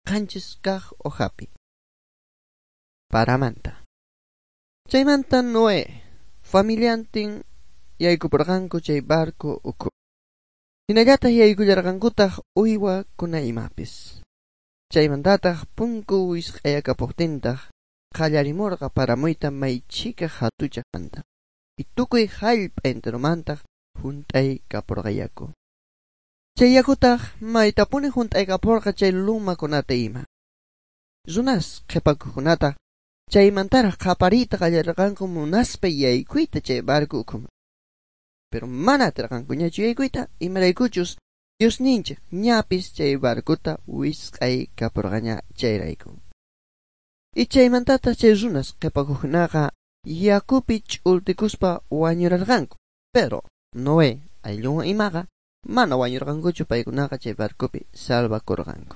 7 kaj hojapi. Paramanta. Chaymanta Noé, familiantin yaykuporqanku chay barco ukhu. Hinallataq yaykullarqankutaq uywakuna imapis. Chaymantataq punku wisq'ayakapuqtintaq qallarimurqa paramuyta may chhika hatuchaqmanta. Y tukuy hallp'a enteromantaq hunt'aykapurqa yaku. Chay yakutaq maytapuni hunt'aykapurqa chay lumakunata ima. Runas qhipakuqkunataq chaymantaraq qapariyta qallarirqanku munaspa yaykuyta chay barco ukhuman. Pero mana atirqankuñachu yaykuyta imaraykuchus Diosninchik ñapis chay barcota wisq'aykapurqaña chayrayku. Y chaymantataq chay runas qhipakuqkunaqa yakupi ch'ultikuspa wañurarqanku. Pero Noé ayllunwan imaqa mana wañurqankuchu paykunaqa chay barcopi salvakurqanku.